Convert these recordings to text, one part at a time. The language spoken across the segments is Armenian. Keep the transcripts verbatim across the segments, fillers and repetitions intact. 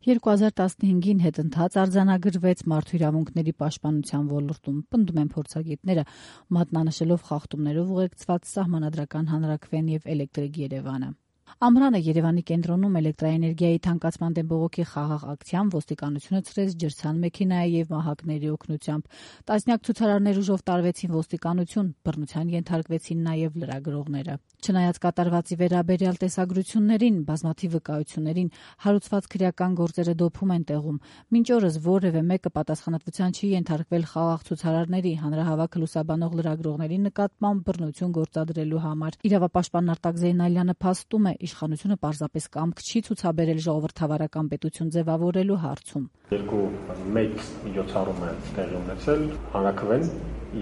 երկու հազար տասնհինգին հետընթաց արձանագրվեց մարդու իրավունքների պաշտպանության ոլորտում, պնդում են փորձագետները, մատնանշելով խախտումներով ուղեկցված սահմանադրական հանրաքվեն եւ էլեկտրիկ Երևանը։ Ամռանը Երևանի կենտրոնում էլեկտրաէներգիայի թանկացման դեմ բողոքի խաղաղ ակցիան ոստիկանությունը ցրեց ջրցան մեքենայի եւ մահակների օգնությամբ։ Տասնյակ ցուցարարներ ուժով տարվեցին ոստիկանություն, բռնության ենթարկվեցին նաեւ լրագրողները։ Չնայած կատարվածի վերաբերյալ տեսագրություններին, բազմաթիվ վկայություններին, հարուցված քրեական գործերը դոփում են տեղում։ Մինչ օրս որևէ մեկը պատասխանատվության չի ենթարկվել խաղաղ ցուցարարների, հանրահավաքը լուսաբանող լրագրողների նկատմամբ բռնություն գործադրելու համար։ Իրավապաշտպան Արտակ Զեյնալյանը փաստում է, իշխանությունը պարզապես կամք չի ցուցաբերել ժողովրդավարական պետություն ձևավորելու հարցում։ Երկու մեծ միջոցառում է տեղի ունեցել, հանրաքվեն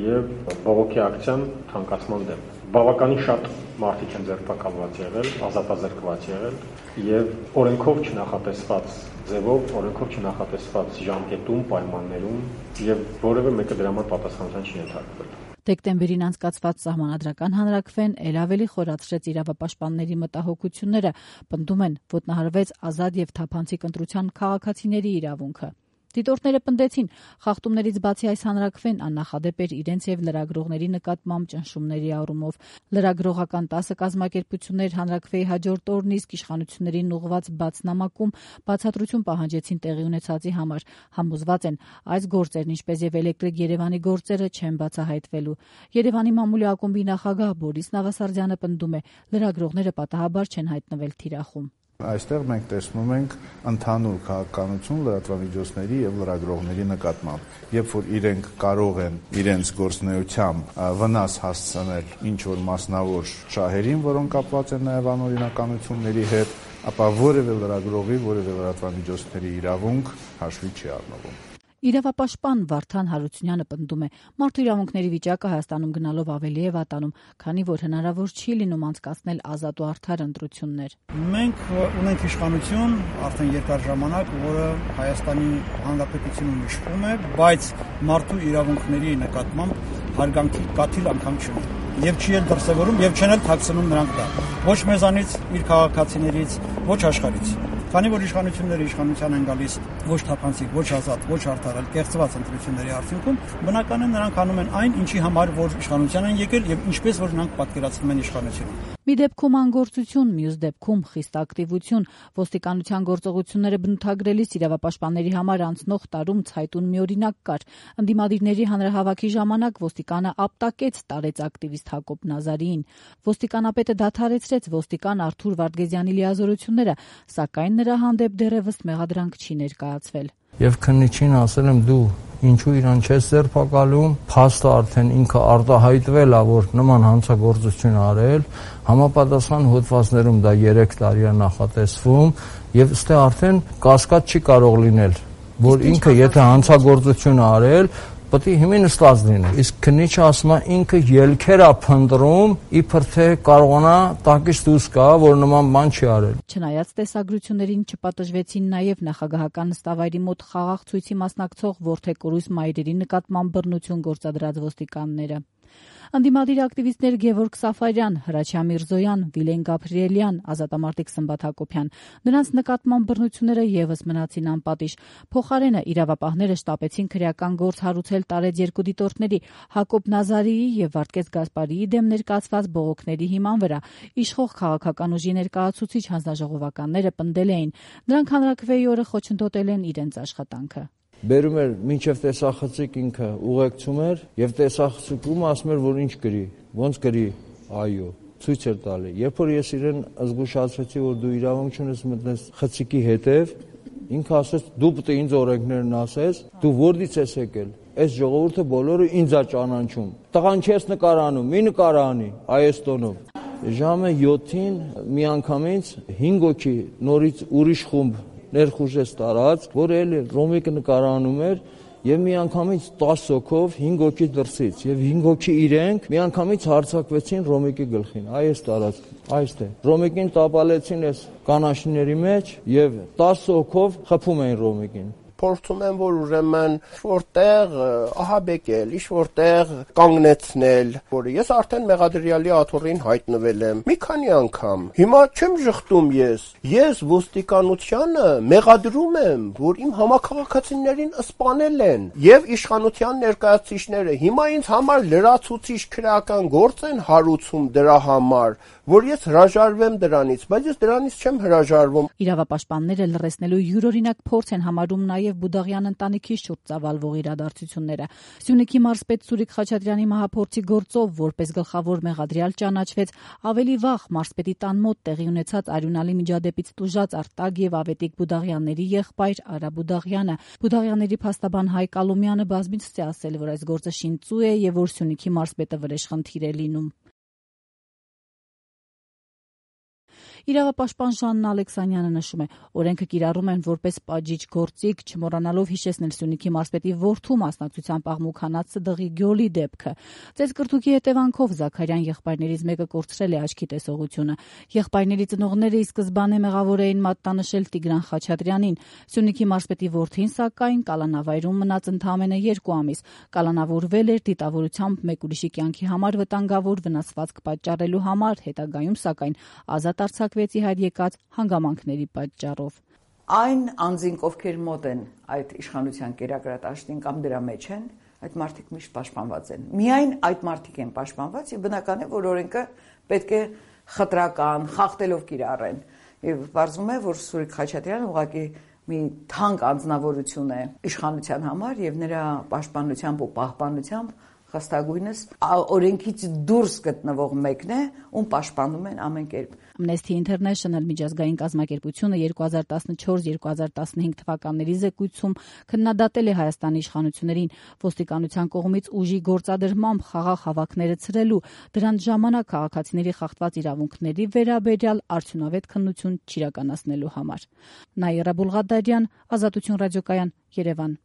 եւ բողոքի ակցիան թանկացման դեմ։ Բավականին շատ մարդիկ են ձերբակալված եղել, ազատազրկված եղել եւ օրենքով չնախատեսված ձևով, օրենքով չնախատեսված ժամկետում, պայմաններում եւ որևէ մեկը դրա համար պատասխանատվության չի ենթարկվել։ Դեկտեմբերին անցկացված սահմանադրական հանրաքվեն էլ ավելի խորացրեց իրավապաշտպանների մտահոգությունները, պնդում են, ոտնահարվեց ազատ եւ թափանցիկ ընտրության քաղաքացիների իրավունքը։ Դիտորդները պնդեցին, խախտումներից բացի այս հանրաքվեն աննախադեպ էր իրենց եւ լրագրողների նկատմամբ ճնշումների առումով։ Լրագրողական տասը կազմակերպություններ հանրաքվեի հաջորդ օրն իսկ իշխանություններին ուղղված բաց նամակում բացատրություն պահանջեցին տեղի ունեցածի համար։ Համոզված են, այս գործերն, ինչպես եւ էլեկտրիկ Երևանի գործերը, չեն բացահայտվելու։ Երևանի մամուլի ակումբի նախագահ Բորիս Նավասարդյանը պնդում է, լրագրողները պատահաբար չեն հայտնվել թիրախում։ Այստեղ մենք տեսնում ենք ընդհանուր քաղաքականություն լրատվամիջոցների եւ լրագրողների նկատմամբ, երբ որ իրենք կարող են իրենց գործունեությամբ վնաս հասցնել ինչ որ մասնավոր շահերին, որոնք կապված են նաեւ անօրինականությունների հետ, ապա որևէ լրագրողի, որևէ լրատվամիջոցների իրավունք հաշվի չի առնվում։ Իրավապաշտպան Վարդան Հարությունյանը պնդում է, մարդու իրավունքների վիճակը Հայաստանում գնալով ավելի է վատանում, քանի որ հնարավոր չի լինում անցկացնել ազատ ու արդար ընտրություններ։ Մենք ունենք իշխանություն արդեն երկար ժամանակ, որը Հայաստանի Հանրապետությունում իշխում է, բայց մարդու իրավունքների նկատմամբ հարգանքի կաթիլ անգամ չունի։ Եվ չի էլ դրսևորում, եւ չեն էլ թաքցնում նրանք դա։ Ոչ մեզանից, իր քաղաքացիներից, ոչ աշխարհից։ Քանի որ իշխանությունները իշխանության են գալիս ոչ թափանցիկ, ոչ ազատ, ոչ արդար, այլ կեղծված ընտրությունների արդյունքում, բնական է նրանք անում են այն, ինչի համար որ իշխանության են եկել եւ ինչպես որ նրանք պատկերացնում են իշխանությունը։ Մի դեպքում անգործություն, մյուս դեպքում խիստ ակտիվություն։ Ոստիկանության գործողությունները բնութագրելիս իրավապաշտպանների համար անցնող տարում ցայտուն մի օրինակ կար։ Ընդդիմադիրների հանրահավաքի ժամանակ ոստիկանը ապտակեց տարեց ակտիվիստ Հակոբ Նազարիին։ Ոստիկանապետը դադարեցրեց ոստիկան Արթուր Վարդգեզյանի լիազորությունները, սակայն նրա հանդեպ դեռևս մեղադրանք չի ներկայացվել։ Եվ քննիչին ասել եմ դու ինչու իրան չես ձերբակալում, փաստը արդեն ինքը արտահայտվել է, որ նման հանցագործություն արել, համապատասխան հոդվածներում դա երեք տարի է նախատեսվում եւ ըստ արդեն կասկած չի կարող լինել, որ ինքը եթե հանցագործություն արել, պետք է հիմա նստած լինի։ Իսկ քննիչը ասում է ինքը ելքեր է փնտրում, իբր թե կարողանա տակից դուրս գա, որ նման բան չի արել։ Չնայած տեսագրություններին չպատժվեցին նաև նախագահական նստավայրի մոտ խաղաղ ցույցի մասնակցող որդեկորույս մայրերի նկատմամբ բռնություն գործադրած ոստիկանները։ Ընդդիմադիր ակտիվիստներ Գևորգ Սաֆարյան, Հրաչյա Միրզոյան, Վիլեն Գաբրիելյան, ազատամարտիկ Սմբատ Հակոբյան։ Նրանց նկատմամբ բռնությունները եւս մնացին անպատիժ։ Փոխարենը իրավապահները շտապեցին քրեական գործ հարուցել տարեց երկու դիտորդների՝ Հակոբ Նազարիի եւ Վարդգես Գասպարիի դեմ ներկայացված բողոքների հիման վրա։ Իշխող քաղաքական ուժի ներկայացուցիչ հանձնաժողովականները պնդել էին, նրանք հանրաքվեի օրը խոչընդոտել են իրենց աշխատանքը։ Բերում էր մինչև տեսախցիկ ինքը ուղեկցում էր եւ տեսախցիկում ասում էր որ ինչ գրի, ոնց գրի, այո, ցույց էր տալի։ Երբ որ ես իրեն զգուշացրեցի որ դու իրավունք չունես մտնես խցիկի հետև, ինքը ասեց դու պետք է ինձ օրենքներն ասես, դու որտից ես եկել։ Այս ժողովուրդը բոլորը ինձ է ճանաչում։ Տղան չես նկարանում, մի նկարանի այս տոնով։ Ժամը յոթին միանգամից հինգ հոգի նորից ուրիշ խումբ ներխուժեց տարած, որ էլ Ռոմիկը նկարանում էր եւ միանգամից տասը հոգով հինգ հոգի դրսից եւ հինգ հոգի իրենք միանգամից հարձակվեցին Ռոմիկի գլխին։ Այս տարած, այստեղ։ Ռոմիկին տապալեցին այս կանաչիների մեջ եւ տասը հոգով խփում էին Ռոմիկին։ փորձում են որ ուրեմն որտեղ ահաբեկել, ինչ որտեղ կանգնեցնել, որը ես արդեն մեղադրյալի աթոռին հայտնվել եմ մի քանի անգամ։ Հիմա չեմ ժխտում ես։ Ես ոստիկանությանը մեղադրում եմ, որ իմ համակարգացիներին սպանել են եւ իշխանության ներկայացուցիչները հիմա ինձ համար լրացուցիչ քրեական գործ են հարուցում դրա համար, որ ես հրաժարվեմ դրանից, բայց ես դրանից չեմ հրաժարվում։ Իրավապաշտպանները լռեցնելու յուրօրինակ փորձ են համարում նաև Բուդաղյան ընտանիքի շուրջ ծավալվող իրադարձությունները։ Սյունիքի մարզպետ Սուրիկ Խաչատրյանի մահափորձի գործով որպես գլխավոր մեղադրյալ ճանաչվեց ավելի վաղ մարզպետի տան մոտ տեղի ունեցած արյունալի միջադեպից տուժած Արտակ եւ Ավետիք Բուդաղյանների եղբայր Արա Բուդաղյանը։ Բուդաղյանների փաստաբան Հայկ Ալոմյանը բազմիցս է ասել, որ այս գործը շինծու է եւ որ Սյունիքի մարզպետը վրեժխնդիր է լինում։ Իրավապաշտպան Ժաննա Ալեքսանյանը նշում է, օրենքը կիրառում են որպես պատժիչ գործիք, չմոռանալով հիշեցնել Սյունիքի մարզպետի որդու մասնակցությամբ աղմուկ հանած Սդղի Գյոլի դեպքը։ Ծեծկրտուքի հետևանքով Զաքարյան եղբայրներից մեկը կորցրել է աչքի տեսողությունը։ Եղբայրների ծնողները ի սկզբանե մեղավոր էին մատնանշել Տիգրան Խաչատրյանին։ Սյունիքի մարզպետի որդին, սակայն, կալանավայրում մնաց ընդամենը երկու ամիս։ Կալանավորվել էր դիտավորությամբ մեկ ուրիշի կյանքի համար վտանգավոր վնասվածք պատճառելու համար, հետագայում, սակայն, ազատ արձակվեց ի հայտ եկած հանգամանքների պատճառով։ Այն անձինք, ովքեր մոտ են այդ իշխանության կերակրատաշտին կամ դրա մեջ են, այդ մարդիկ միշտ պաշտպանված են։ Միայն այդ մարդիկ են պաշտպանված եւ բնական է, որ օրենքը պետք է խտրական, խախտելով կիրառեն։ Եվ պարզվում է, որ Սուրիկ Խաչատրյանը ուղղակի մի թանկ անձնավորություն է իշխանության համար եւ նրա պաշտպանությամբ ու պահպանությամբ խստագույնս օրենքից դուրս գտնվող մեկն է, ում պաշտպանում են ամեն կերպ։ Amnesty International միջազգային կազմակերպությունը երկու հազար տասնչորս երկու հազար տասնհինգ թվականների զեկույցում քննադատել է Հայաստանի իշխանություններին ոստիկանության կողմից ուժի գործադրմամբ խաղաղ հավաքները ցրելու, դրանց ժամանակ քաղաքացիների խախտված իրավունքների վերաբերյալ արդյունավետ քննություն չիրականացնելու համար։ Նաիրա Բուլղադարյան, Ազատություն ռադիոկայան, Երևան։